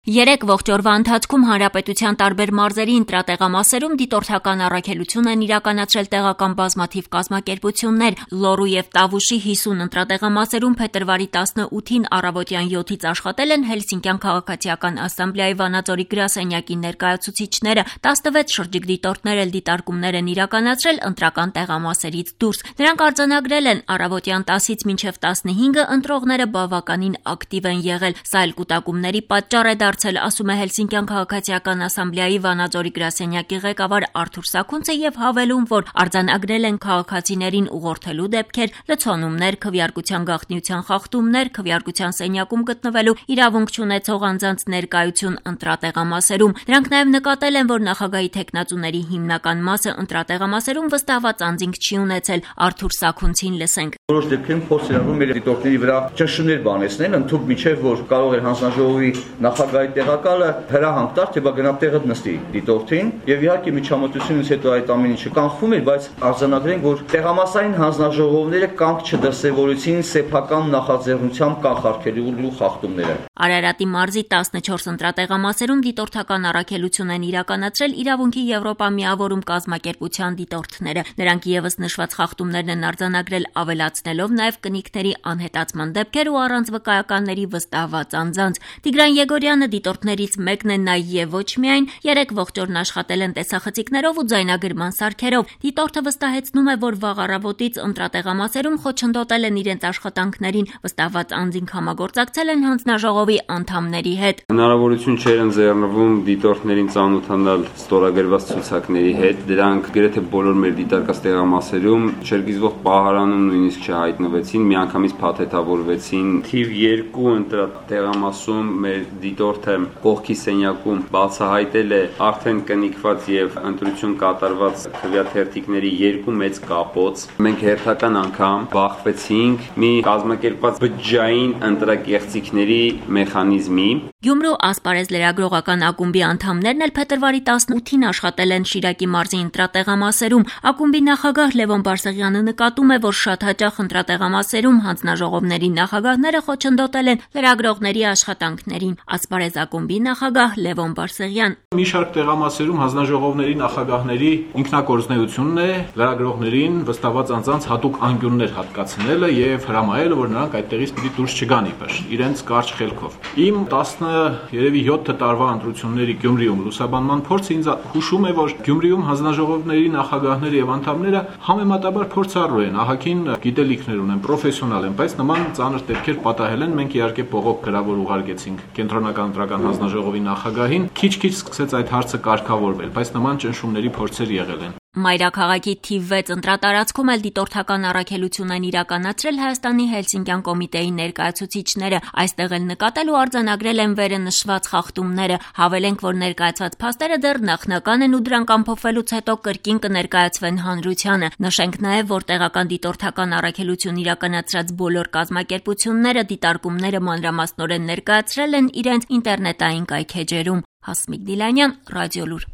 Երեք ողջ օրվա ընթացքում հանրապետության տարբեր մարզերի ընտրատեղամասերում դիտորդական առաքելություն են իրականացրել տեղական բազմաթիվ կազմակերպություններ։ Լոռու և Տավուշի 50 ընտրատեղամասերում փետրվարի 18-ին առավոտյան 7-ից աշխատել են Հելսինկյան քաղաքացիական ասամբլեայի Վանաձորի գրասենյակի ներկայացուցիչները, 16 շրջիկ դիտորդներ էլ դիտարկումներ են իրականացրել ընտրական տեղամասերից դուրս։ Նրանք արձանագրել են առավոտյան 10-ից մինչև 15-ը ընտրողները բավականին ակտիվ են եղել, սա էլ կուտակումների պատճառ է ասում է Հելսինկյան քաղաքացիական ասամբլեայի Վանաձորի գրասենյակի ղեկավար Արթուր Սաքունցը և հավելում, որ արձանագրել են քաղաքացիներին ուղղորդելու դեպքեր, լցոնումներ, քվեարկության գաղտնիության խախտումներ, քվեարկության սենյակում գտնվելու իրավունք չունեցող անձանց ներկայություն ընտրատեղամասերում։ Նրանք նաև նկատել են, որ նախագահի թեկնածուների հիմնական մասը ընտրատեղամասերում վստահված անձինք չի ունեցել։ Արթուր Սաքունցին լսենք. Որոշ դեպքերում փորձ են անում մեր դիտորդների վրա ճնշումներ բանեցնել, ընդհանուր միջև որ կարող է հանձնաժողովի նախագահի տեղակալը հրահանգ տար, թե բա գնա տեղը նստի դիտորդին, եւ իհարկե միջամտությունից հետո այդ ամեն ինչը կանխվում էր, բայց արձանագրենք, որ տեղամասային հանձնաժողովները կանգ չդրսևորեցին սեփական նախաձեռնությամբ կանխարգելելու խախտումները։ Արարատի մարզի 14 ընտրատեղամասերում դիտորդական առաքելություն են իրականացրել Իրավունքի Եվրոպա միավորում կազմակերպության դիտորդները։ Նրանք ևս նշված խախտումներն են արձանագրել, ավելացնելով նաև կնիկների անհետացման դեպքեր ու առանց վկայականների վստահված անձանց։ Տիգրան Եգորյանը դիտորդներից մեկն է նա եւ ոչ միայն 3 ողջ օրն աշխատել են տեսախցիկներով ու ձայնագրման սարքերով։ Դիտորդը վստահեցնում է, որ վաղ առավոտից ընտրատեղամասերում խոչընդոտել են իրենց աշխատանքներին, վստահված անձինք համագործակցել են հանձնաժողովի անդամների հետ։ Հնարավորություն չէր ընձեռնվում դիտորդներին ծանոթանալ ստորագրված ցուցակների հետ, դրանք գրեթե բոլոր մեր դիտարկած տեղամասերում չերգիզվող պահարանում նույնիսկ չհայտնվեցին, միանգամից փաթեթավորվեցին։ Թիվ 2 ընտրատեղամասում մեր դիտորդը կողքի սենյակում բացահայտել է արդեն կնիկված եւ ընտրություն կատարված քվեաթերթիկների 2 մեծ կապոց։ Մենք հերթական անգամ բախվեցինք մի կազմակերպված բջջային ընտրակեղծիքների մեխանիզմի։ Գյումրու ասպարեզ լրագրողական ակումբի անդամներն էլ փետրվարի 18-ին աշխատել են Շիրակի մարզի ընտրատեղամասերում։ Ակումբի նախագահ Լևոն Բարսեղյանը նկատում է, որ շատ հաճախ ընտրատեղամասերում հանձնաժողովների նախագահները խոչընդոտել են լրագրողների աշխատանքներին։ Ասպարեզ ակումբի նախագահ Լևոն Բարսեղյան. Մի շարք տեղամասերում հանձնաժողովների նախագահների ինքնակորձնեությունն է լրագրողներին վստահված անձանց հատուկ անկյուններ հատկացնելը եւ հրամայելը, որ նրանք այդտեղից պիտի դուրս չգան իբր իրենց կարճ խելքով։ Իմ 17 տարվա ընտրությունների Գյումրիում լուսաբանման փորձը ինձ հուշում է, որ Գյումրիում հանձնաժողովների նախագահները եւ անդամները համեմատաբար փորձառու են, ահագին գիտելիքներ ունեն, պրոֆեսիոնալ են, բայց նման ծանր դեպքեր պատահել են։ Մենք իհարկե բողոք գրավոր ուղարկեցինք Կենտրոնական ընտրական հանձնաժողովի նախագահին, քիչ-քիչ սկսեց այդ հարցը կարգավորվել, բայց նման ճնշումների փորձեր եղել են։ Մայրաքաղաքի թիվ 6 ընտրատարածքում էլ դիտորդական առաքելություն են իրականացրել Հայաստանի Հելսինկյան կոմիտեի ներկայացուցիչները։ Այստեղ էլ նկատել ու արձանագրել են վերը նշված խախտումները։ Հավելենք, որ ներկայացված փաստերը դեռ նախնական են ու դրանք ամփոփվելուց հետո կրկին կներկայացվեն հանրությանը։ Նշենք նաև, որ տեղական դիտորդական առաքելություն իրականացրած բոլոր կազմակերպությունները դիտարկումները մանրամասնորեն ներկայացրել են իրենց ինտերնետային կայքէջերում։ Հասմիկ Դիլանյան, Ռադիոլուր։